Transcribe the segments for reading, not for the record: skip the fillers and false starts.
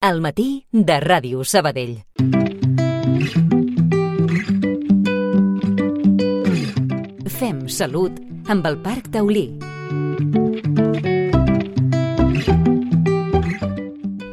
Al matí de Ràdio Sabadell. Fem salut amb el Parc Taulí.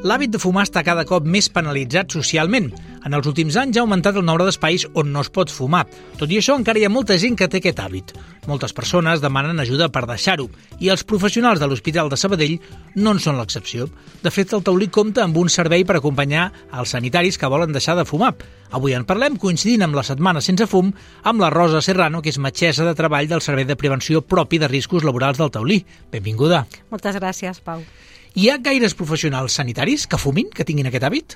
L'hàbit de fumar està cada cop més penalitzat socialment. En els últims anys ha augmentat el nombre d'espais on no es pot fumar. Tot i això, encara hi ha molta gent que té aquest hàbit. Moltes persones demanen ajuda per deixar-ho, i els professionals de l'Hospital de Sabadell no en són l'excepció. De fet, el Taulí compta amb un servei per acompanyar els sanitaris que volen deixar de fumar. Avui en parlem, coincidint amb la Setmana Sense Fum, amb la Rosa Serrano, que és metgessa de treball del Servei de Prevenció Propi de Riscos Laborals del Taulí. Benvinguda. Moltes gràcies, Pau. Hi ha gaires professionals sanitaris que fumin, que tinguin aquest hàbit?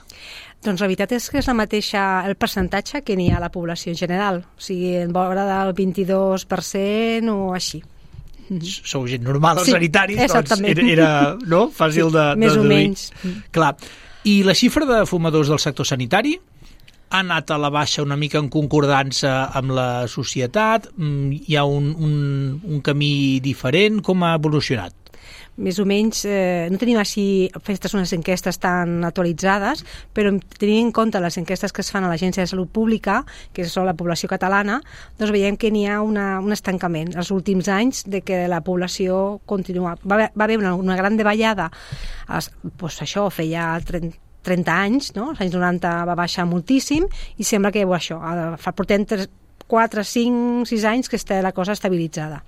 Doncs la veritat és que és el percentatge que n'hi ha a la població en general. O sigui, en vora del 22% o així. Sou gent normal, els sanitaris, exactament. Doncs era no? Fàcil de més deduir. O menys. Clar. I la xifra de fumadors del sector sanitari ha anat a la baixa una mica en concordança amb la societat? Hi ha un camí diferent? Com ha evolucionat? Més o menys, no tenim així fetes unes enquestes tan actualitzades, però tenint en compte les enquestes que es fan a l'Agència de Salut Pública, que és la població catalana, doncs veiem que n'hi ha un estancament els últims anys de que la població continua. Va haver una gran davallada, doncs això feia 30 anys, no? Els anys 90 va baixar moltíssim i sembla que portem 4, 5, 6 anys que està la cosa estabilitzada.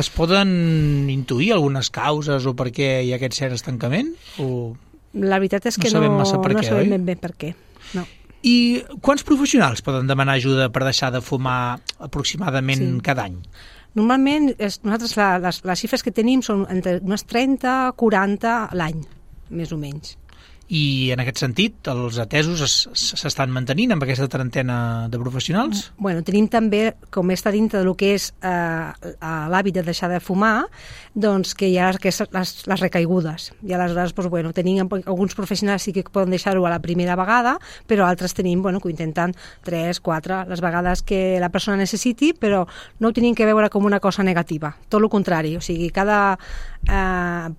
Es poden intuir algunes causes o per què hi ha aquest cert estancament? O la veritat és que no sabem ben bé per què. No. I quants professionals poden demanar ajuda per deixar de fumar aproximadament cada any? Normalment, nosaltres les xifres que tenim són entre unes 30-40 l'any, més o menys. I en aquest sentit, els atesos s'estan mantenint amb aquesta trentena de professionals? Bueno, tenim també, com està dintre del que és l'hàbit de deixar de fumar, doncs que hi ha les recaigudes. I aleshores, tenim alguns professionals sí que poden deixar-ho a la primera vegada, però altres tenim que ho intenten 3, 4, les vegades que la persona necessiti, però no ho tenim que veure com una cosa negativa. Tot el contrari, o sigui, cada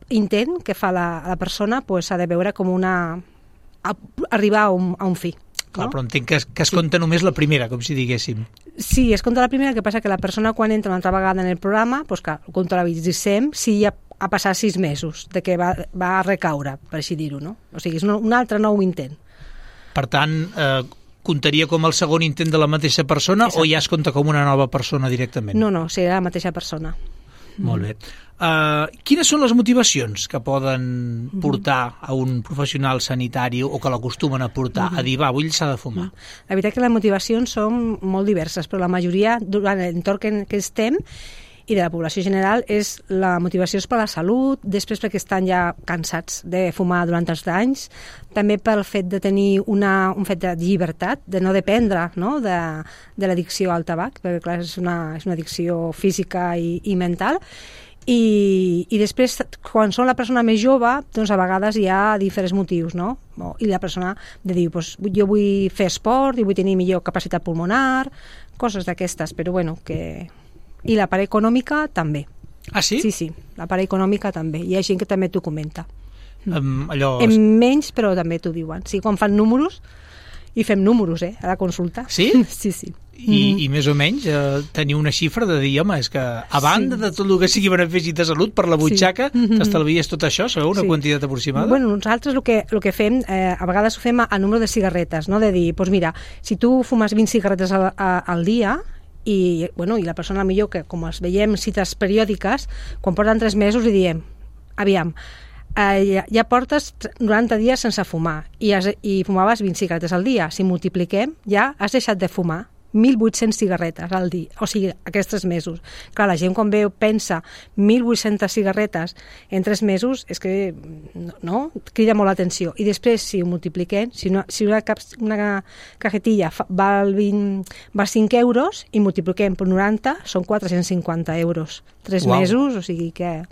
intent que fa la persona s'ha de veure com arribar a un fi. Clar, però entenc que es compta només la primera, com si diguéssim. Sí, es compta la primera, que passa que la persona quan entra una altra vegada en el programa, clar, ho comptabilitzem si ja ha passat 6 mesos de que va recaure, per així dir-ho, no? O sigui, és un altre nou intent. Per tant, comptaria com el segon intent de la mateixa persona. Exacte. O ja es compta com una nova persona directament? No, serà la mateixa persona. Molt bé. Quines són les motivacions que poden portar a un professional sanitari o que l'acostumen a portar a dir, vull deixar de fumar? La veritat que les motivacions són molt diverses, però la majoria, durant l'entorn que estem i de la població general, la motivació és per la salut, després perquè estan ja cansats de fumar durant els anys, també pel fet de tenir un fet de llibertat, de no dependre, no? de l'addicció al tabac, perquè clar, és una addicció física i mental, i després, quan són la persona més jove, doncs a vegades hi ha diferents motius, no? I la persona diu, jo vull fer esport, i vull tenir millor capacitat pulmonar, coses d'aquestes, però I la part econòmica també. Ah, sí? Sí, la part econòmica també. Hi ha gent que també t'ho comenta. En menys, però també t'ho diuen. Sí, quan fan números, i fem números, a la consulta. Sí? Sí. I més o menys tenir una xifra de dir, home, és que a banda de tot el que sigui benefici de salut per la butxaca, t'estalvies tot això, sabeu una quantitat aproximada? Bueno, nosaltres el que fem, a vegades ho fem a número de cigarretes, no? De dir, mira, si tu fumes 20 cigarretes al dia, i la persona millor que, com es veiem cites periòdiques, quan porten 3 mesos li diem, aviam, ja portes 90 dies sense fumar i fumaves 20 cigarretes al dia. Si multipliquem, ja has deixat de fumar 1.800 cigarretes al dia, o sigui, aquests 3 mesos. Clar, la gent quan pensa 1.800 cigarretes en 3 mesos, és que no, crida molt l'atenció. I després, si ho multipliquem, si una cajetilla val 5 euros i multipliquem per 90, són 450 euros. 3 mesos, o sigui que...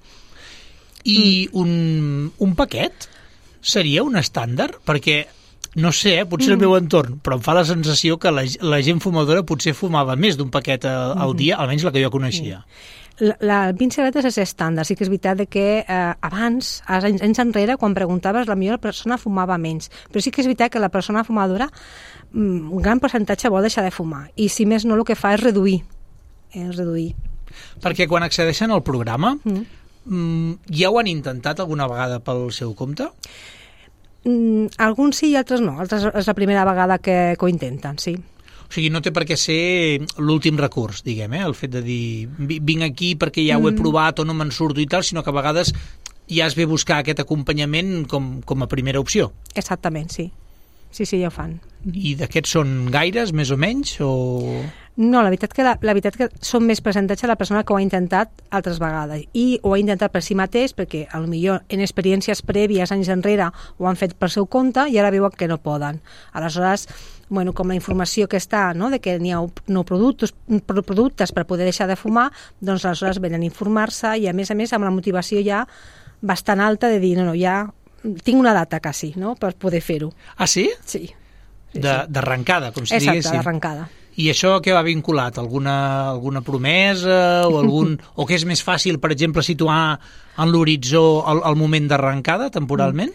I un paquet seria un estàndard? Perquè No sé, potser el meu entorn, però em fa la sensació que la gent fumadora potser fumava més d'un paquet al dia, almenys la que jo coneixia. La 20 cigarretes és estàndard. Sí que és veritat que abans, anys enrere, quan preguntaves, la millor persona fumava menys. Però sí que és veritat que la persona fumadora, un gran percentatge vol deixar de fumar. I si més no, el que fa és reduir. Perquè quan accedeixen al programa, ja ho han intentat alguna vegada pel seu compte? Alguns sí i altres no. Altres és la primera vegada que ho intenten, sí. O sigui, no té per què ser l'últim recurs, diguem, el fet de dir vinc aquí perquè ja ho he provat o no me'n surto i tal, sinó que a vegades ja es ve buscar aquest acompanyament com a primera opció. Exactament, sí. Sí, ja ho fan. I d'aquests són gaires, més o menys? O... No, la veritat que són més percentatge la persona que ho ha intentat altres vegades i ho ha intentat per si mateix perquè potser en experiències prèvies anys enrere ho han fet per seu compte i ara veuen que no poden. Aleshores, com la informació que està, no, de que n'hi ha productes per poder deixar de fumar, doncs aleshores venen a informar-se i a més amb la motivació ja bastant alta de dir, no, ja tinc una data quasi, no?, per poder fer-ho. Ah, sí? Sí. D'arrencada, com si diguéssim. Exacte, d'arrencada. I això què va vinculat? Alguna promesa o o que és més fàcil, per exemple, situar en l'horitzó el moment d'arrencada temporalment?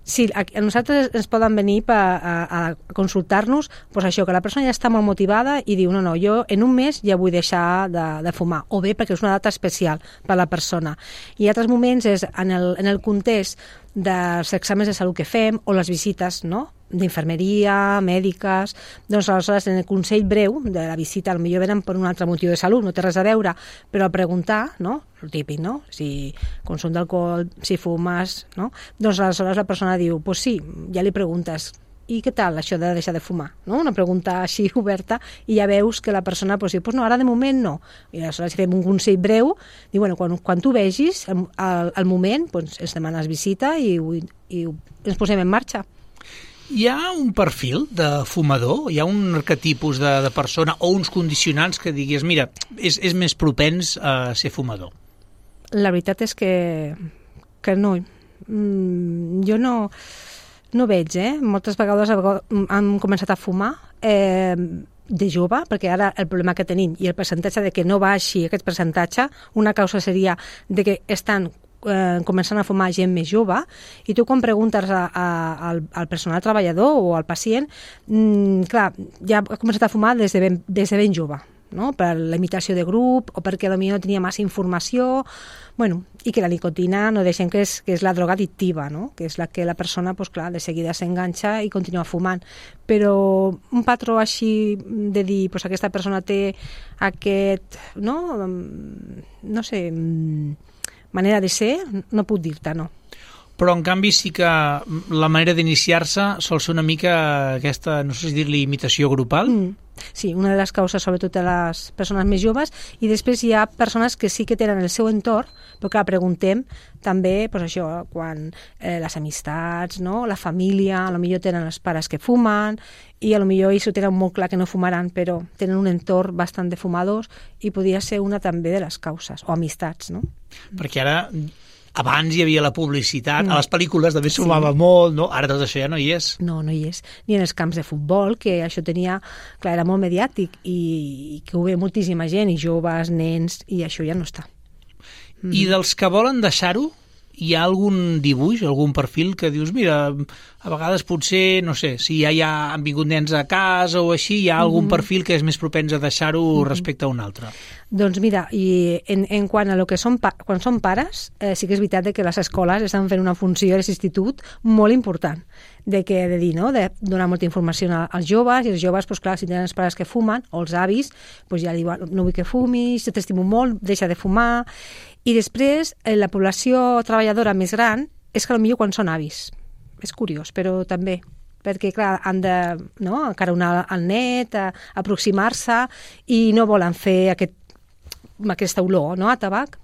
Sí, a nosaltres ens poden venir a consultar-nos, doncs això, que la persona ja està molt motivada i diu, no, jo en un mes ja vull deixar de fumar, o bé perquè és una data especial per a la persona. I altres moments és en el context dels exàmens de salut que fem o les visites, no?, d'infermeria, mèdiques, doncs aleshores en el consell breu de la visita potser venen per un altre motiu de salut, no té res a veure, però a preguntar, no?, el típic, no?, si consum d'alcohol, si fumes, no?, doncs aleshores la persona diu, pues sí, ja li preguntes, i què tal això de deixar de fumar, no?, una pregunta així oberta i ja veus que la persona diu, pues no, ara de moment no, i aleshores fem un consell breu, diu, quan tu vegis el moment, doncs ens demanes visita i ens posem en marxa. Hi ha un perfil de fumador? Hi ha un arquetipus de persona o uns condicionants que diguis, mira, és més propens a ser fumador? La veritat és que no. Jo no veig, Moltes vegades han començat a fumar de jove, perquè ara el problema que tenim i el percentatge de que no baixi aquest percentatge, una causa seria de que estan començant a fumar gent més jove, i tu quan preguntes al personal treballador o al pacient, clar, ja ha començat a fumar des de ben jove, no?, per la imitació de grup o perquè potser no tenia massa informació, i que la nicotina no deixem que és la droga addictiva, no?, que és la que la persona, clar, de seguida s'enganxa i continua fumant. Però un patró així de dir, aquesta persona té aquest, no sé, manera de ser, no puc dir-te, no. Però, en canvi, sí que la manera d'iniciar-se sol ser una mica aquesta, no sé si dir-li, imitació grupal? Sí, una de les causes, sobretot de les persones més joves, i després hi ha persones que sí que tenen el seu entorn, però que preguntem també, això, quan les amistats, no?, la família, potser tenen els pares que fumen, i potser ells ho tenen molt clar que no fumaran, però tenen un entorn bastant de fumadors, i podria ser una també de les causes, o amistats, no? Perquè ara... Abans hi havia la publicitat, a les pel·lícules també s'humava molt, no? Ara tot això ja no hi és. No hi és. Ni en els camps de futbol, que això tenia... Clar, era molt mediàtic i que ho ve moltíssima gent, i joves, nens, i això ja no està. I dels que volen deixar-ho, hi ha algun dibuix, algun perfil que dius, mira, a vegades potser, no sé, si ja han vingut nens a casa o així, hi ha algun perfil que és més propens a deixar-ho respecte a un altre? Doncs mira, i en quant a lo que quan són pares, sí que és veritat que les escoles estan fent una funció a l'institut molt important, de dir, no?, de donar molta informació als joves, i els joves, clar, si tenen els pares que fumen, o els avis, ja li diuen, no vull que fumis, t'estimo molt, deixa de fumar. I després, la població treballadora més gran és que potser quan són avis. És curiós, però també, perquè, clar, han de acaronar el net, aproximar-se, i no volen fer aquesta olor, no?, a tabac.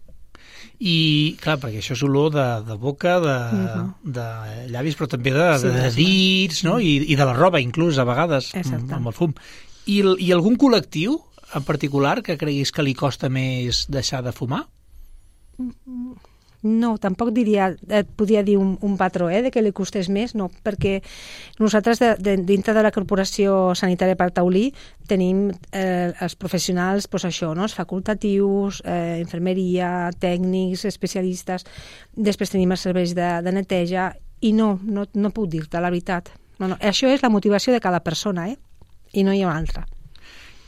I, clar, perquè això és olor de boca, de llavis, però també de dits, no?, i de la roba, inclús, a vegades, amb el fum. I algun col·lectiu en particular que creguis que li costa més deixar de fumar? No, tampoc podria dir un patró de que li costés més, no, perquè nosaltres dintre de la Corporació Sanitària Parc Taulí tenim els professionals, doncs això, no? Els facultatius, infermeria, tècnics, especialistes, després tenim els serveis de neteja i no puc dir-te la veritat. No, això és la motivació de cada persona, i no hi ha una altra.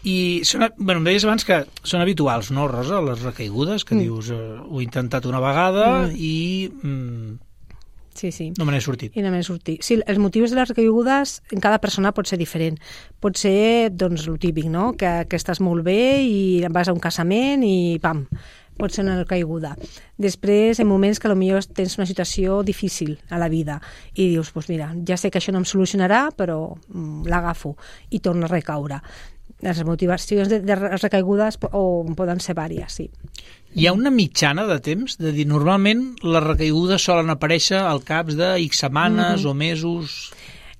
I em deies abans que són habituals, no, Rosa, les recaigudes, que dius, ho he intentat una vegada i sí. no me n'he sortit. I no me n'he sortit. Sí, els motius de les recaigudes en cada persona pot ser diferent. Pot ser, doncs, el típic, no?, que estàs molt bé i vas a un casament i pam, pot ser una recaiguda. Després, en moments que potser tens una situació difícil a la vida i dius, doncs mira, ja sé que això no em solucionarà, però l'agafo i torno a recaure. Les motivacions de recaigudes poden ser vàries, sí. Hi ha una mitjana de temps? De dir, normalment les recaigudes solen aparèixer al cap de X setmanes o mesos?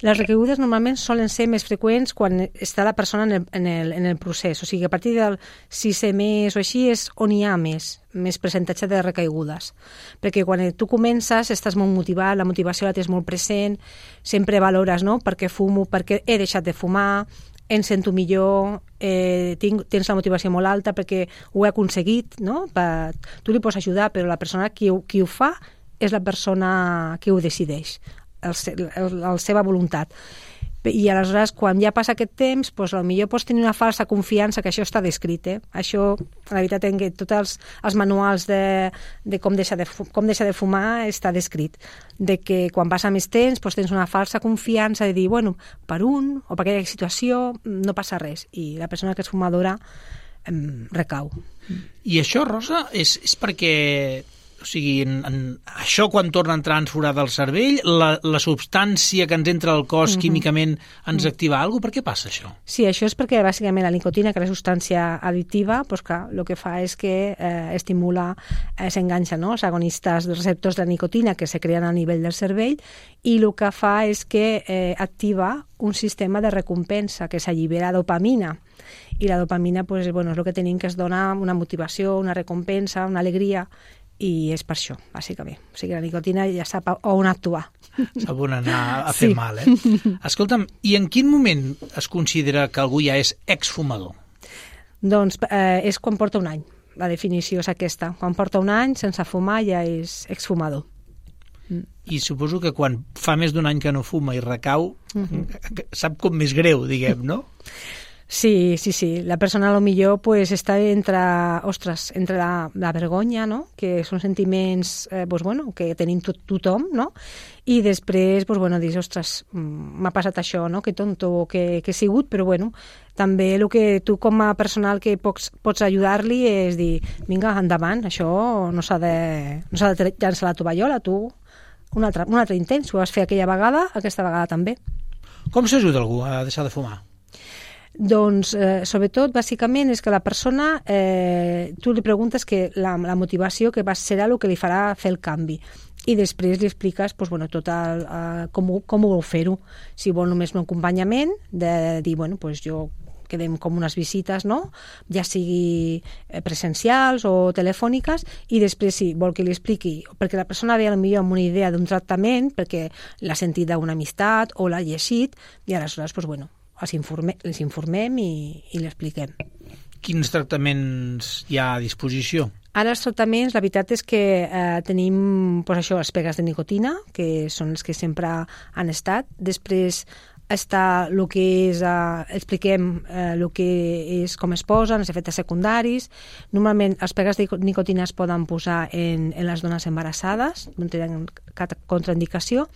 Les recaigudes normalment solen ser més freqüents quan està la persona en el procés. O sigui, a partir del 6è mes o així és on hi ha més percentatge de recaigudes. Perquè quan tu comences estàs molt motivat, la motivació la tens molt present, sempre valores, no?, per què fumo, per què he deixat de fumar, em sento millor, tens la motivació molt alta perquè ho he aconseguit, no? Tu li pots ajudar, però la persona qui ho fa és la persona que ho decideix, la seva voluntat. I aleshores, quan ja passa aquest temps, doncs potser pots tenir una falsa confiança que això està descrit. Això, la veritat, en què tots els manuals de com deixar de fumar està descrit. De que quan passa més temps doncs tens una falsa confiança de dir, bueno, per un o per aquella situació no passa res. I la persona que és fumadora recau. I això, Rosa, és perquè... O sigui, això quan torna a entrar ens farà del cervell, la substància que ens entra al cos químicament ens activa alguna cosa? Per què passa això? Sí, això és perquè bàsicament la nicotina, que és la substància addictiva, doncs clar, el que fa és que estimula, s'enganxa, no?, els agonistes dels receptors de nicotina que se creen a nivell del cervell i el que fa és que activa un sistema de recompensa que s'allibera dopamina. I la dopamina doncs, és el que tenim, que es dona una motivació, una recompensa, una alegria, i és per això, bàsicament. O sigui, la nicotina ja sap on actuar. Sap on anar a fer mal, Escolta'm, i en quin moment es considera que algú ja és exfumador? Doncs és quan porta un any. La definició és aquesta. Quan porta un any sense fumar ja és exfumador. I suposo que quan fa més d'un any que no fuma i recau, sap com més greu, diguem, no? Sí. La persona potser pues, està entre la vergonya, no?, que són sentiments que tenim tothom, no?, i després dius, ostres, m'ha passat això, no?, que tonto que he sigut, però també el que tu com a personal que pots ajudar-li és dir, vinga, endavant, això no s'ha de llançar la tovallola, tu un altre intent, si ho vas fer aquella vegada, aquesta vegada també. Com s'ajuda algú a deixar de fumar? Doncs, sobretot, bàsicament, és que la persona, tu li preguntes que la motivació que serà el que li farà fer el canvi. I després li expliques tot com ho vol fer-ho. Si vol només un acompanyament, de dir, jo quedem com unes visites, no?, ja sigui presencials o telefòniques, i després si vol que li expliqui, perquè la persona ve potser amb una idea d'un tractament, perquè l'ha sentit d'una amistat o l'ha llegit, i aleshores, els informem i l'expliquem. Quins tractaments hi ha a disposició? Ara els tractaments, la veritat és que tenim les pegues de nicotina, que són els que sempre han estat. Després està el que és, expliquem el que és, com es posen, els efectes secundaris. Normalment les pegues de nicotina es poden posar en les dones embarassades, no tenen cap contraindicació,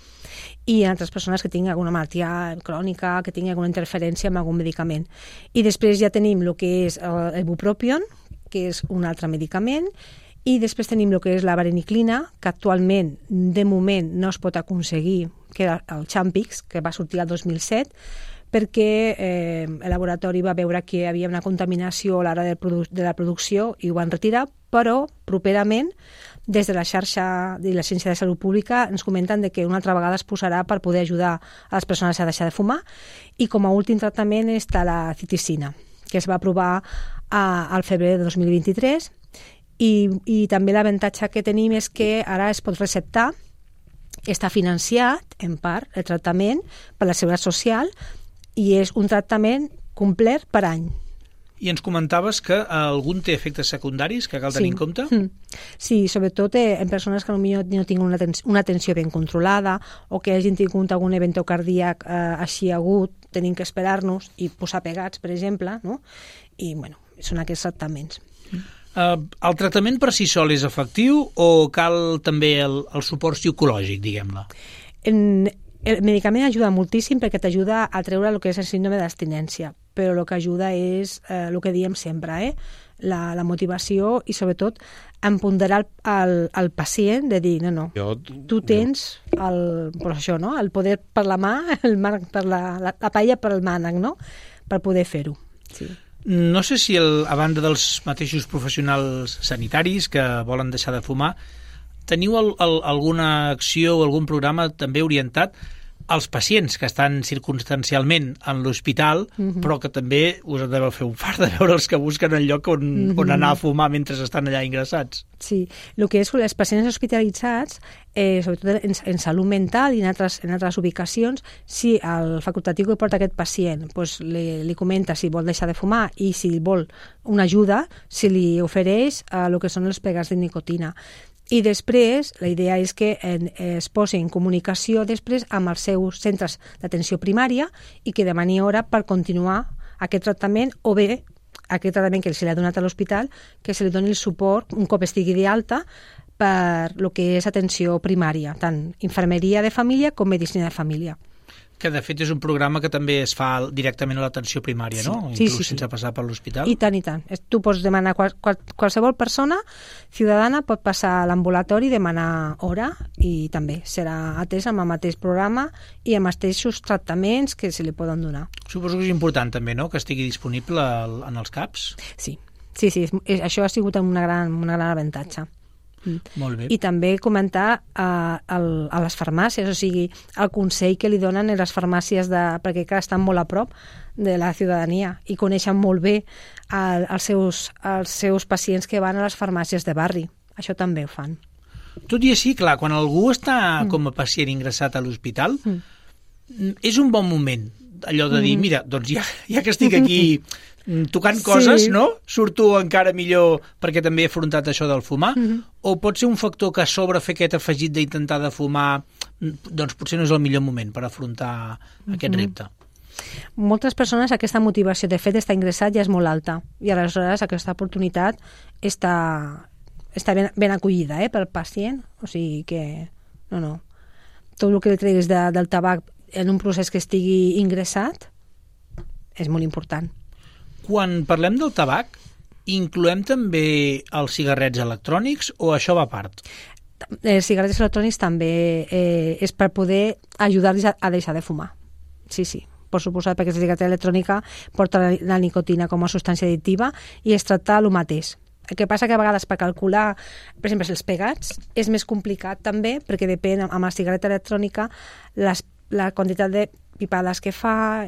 i en altres persones que tinguin alguna malaltia crònica, que tinguin alguna interferència amb algun medicament. I després ja tenim el que és el ibupropion, que és un altre medicament, i després tenim el que és la vareniclina, que actualment, de moment, no es pot aconseguir, que era el Champix, que va sortir el 2007, perquè el laboratori va veure que hi havia una contaminació a l'hora de la producció i ho van retirar, però properament, des de la xarxa de la Ciència de Salut Pública, ens comenten que una altra vegada es posarà per poder ajudar a les persones a deixar de fumar, i com a últim tractament està la citicina, que es va aprovar al febrer de 2023, I també l'avantatge que tenim és que ara es pot receptar, està financiat, en part, el tractament per la Seguretat Social i és un tractament complet per any. I ens comentaves que algun té efectes secundaris que cal tenir en compte? Sí, sobretot en persones que potser no tinguin una tensió ben controlada o que hagin tingut algun event cardíac així agut, tenim que esperar-nos i posar pegats, per exemple, no? I, bueno, són aquests tractaments. El tractament per si sol és efectiu o cal també el suport psicològic, diguem-ne? El medicament ajuda moltíssim perquè t'ajuda a treure el que és el síndrome d'abstinència, però el que ajuda és el que diem sempre, la motivació i sobretot empoderar el pacient de dir, no, tu tens el poder per la mà, el mànec per la paella per el mànec, no? Per poder fer-ho. Sí. No sé si a banda dels mateixos professionals sanitaris que volen deixar de fumar, teniu alguna acció o algun programa també orientat als pacients que estan circumstancialment en l'hospital, però que també us deveu fer un fart de veure els que busquen el lloc on anar a fumar mentre estan allà ingressats. Sí, el que és els pacients hospitalitzats, sobretot en salut mental i en altres ubicacions, si el facultatiu que porta aquest pacient li comenta si vol deixar de fumar i si vol una ajuda, si li ofereix el que són els pegats de nicotina. I després, la idea és que es posi en comunicació després amb els seus centres d'atenció primària i que demani hora per continuar aquest tractament o bé aquest tractament que se li ha donat a l'hospital, que se li doni el suport un cop estigui d'alta per el que és atenció primària, tant infermeria de família com medicina de família. Que de fet és un programa que també es fa directament a l'atenció primària, no? Inclús sense passar per l'hospital. I tant, i tant. Tu pots demanar, qualsevol persona ciutadana pot passar a l'ambulatori i demanar hora i també serà atès amb el mateix programa i amb els mateixos tractaments que se li poden donar. Suposo que és important també, no?, que estigui disponible en els CAPs. Sí, això ha sigut un gran avantatge. Molt bé. I també comentar a les farmàcies, o sigui, el consell que li donen a les farmàcies perquè estan molt a prop de la ciutadania i coneixen molt bé els seus pacients que van a les farmàcies de barri. Això també ho fan. Tot i així, clar, quan algú està com a pacient ingressat a l'hospital, és un bon moment allò de dir, mira, doncs ja que estic aquí tocant coses, no? Surto encara millor perquè també he afrontat això del fumar, o pot ser un factor que a sobre fer aquest afegit d'intentar de fumar, doncs potser no és el millor moment per afrontar aquest repte. Moltes persones aquesta motivació de fet d'estar ingressat ja és molt alta i aleshores aquesta oportunitat està ben acollida pel pacient, o sigui que tot el que li treguis del tabac en un procés que estigui ingressat és molt important. Quan parlem del tabac, incloem també els cigarrets electrònics o això va a part? Els cigarrets electrònics també és per poder ajudar-los a deixar de fumar. Sí, per suposat, perquè la cigarreta electrònica porta la nicotina com a substància addictiva i es tracta el mateix. El que passa que a vegades per calcular, per exemple, els pegats, és més complicat també perquè depèn amb la cigarreta electrònica la quantitat de pipades que fa,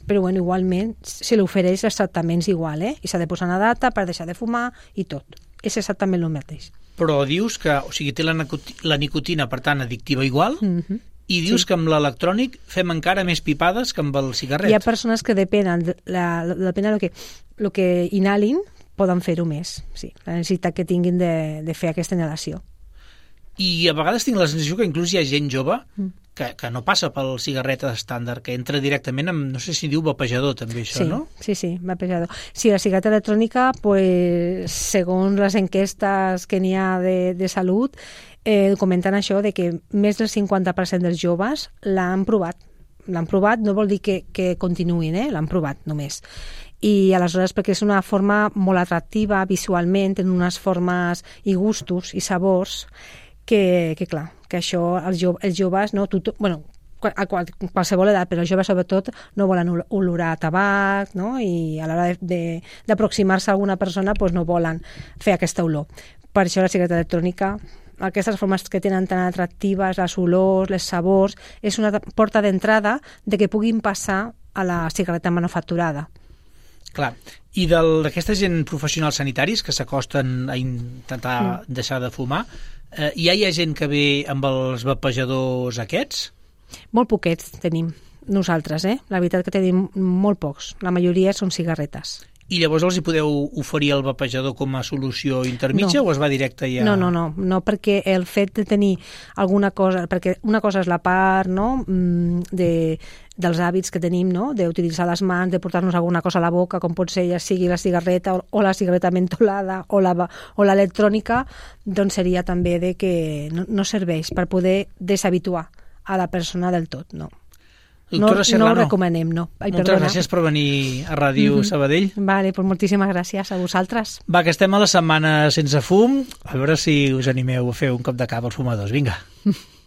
però igualment se li ofereix els tractaments igual, i s'ha de posar una data per deixar de fumar i tot. És exactament el mateix. Però dius que, o sigui, té la nicotina, per tant, addictiva igual, i dius que amb l'electrònic fem encara més pipades que amb el cigarret. Hi ha persones que depèn del que inhalin, poden fer-ho més, sí, la necessitat que tinguin de fer aquesta inhalació. I a vegades tinc la sensació que inclús hi ha gent jove que no passa pel cigarret estàndard, que entra directament amb, no sé si diu vapejador també això, no? Sí, vapejador. Sí, la cigarreta electrònica, segons les enquestes que n'hi ha de salut, comenten això de que més del 50% dels joves l'han provat. L'han provat, no vol dir que continuïn, l'han provat només. I aleshores perquè és una forma molt atractiva visualment, en unes formes i gustos i sabors que clar, que això els joves, no, a qualsevol edat, però els joves sobretot no volen olorar tabac, no? I a l'hora d'aproximar-se a alguna persona no volen fer aquesta olor. Per això la cigarreta electrònica, aquestes formes que tenen tan atractives, les olors, les sabors, és una porta d'entrada de que puguin passar a la cigarreta manufacturada. Clar. I d'aquesta gent professionals sanitaris que s'acosten a intentar deixar de fumar, hi ha gent que ve amb els vapejadors aquests? Molt poquets tenim nosaltres, La veritat que tenim molt pocs. La majoria són cigarretes. I llavors els hi podeu oferir el vapejador com a solució intermitja o es va directe ja? No, perquè el fet de tenir alguna cosa, perquè una cosa és la part dels hàbits que tenim, d'utilitzar les mans, de portar-nos alguna cosa a la boca, com pot ser ja sigui la cigarreta o la cigarreta mentolada o l'electrònica, doncs seria també de que no serveix per poder deshabituar a la persona del tot, no. Doctora Serrano, no ho recomanem, no. Moltes gràcies per venir a Ràdio Sabadell. Vale, pues moltíssimes gràcies a vosaltres. Va, que estem a la setmana sense fum, a veure si us animeu a fer un cop de cap als fumadors. Vinga.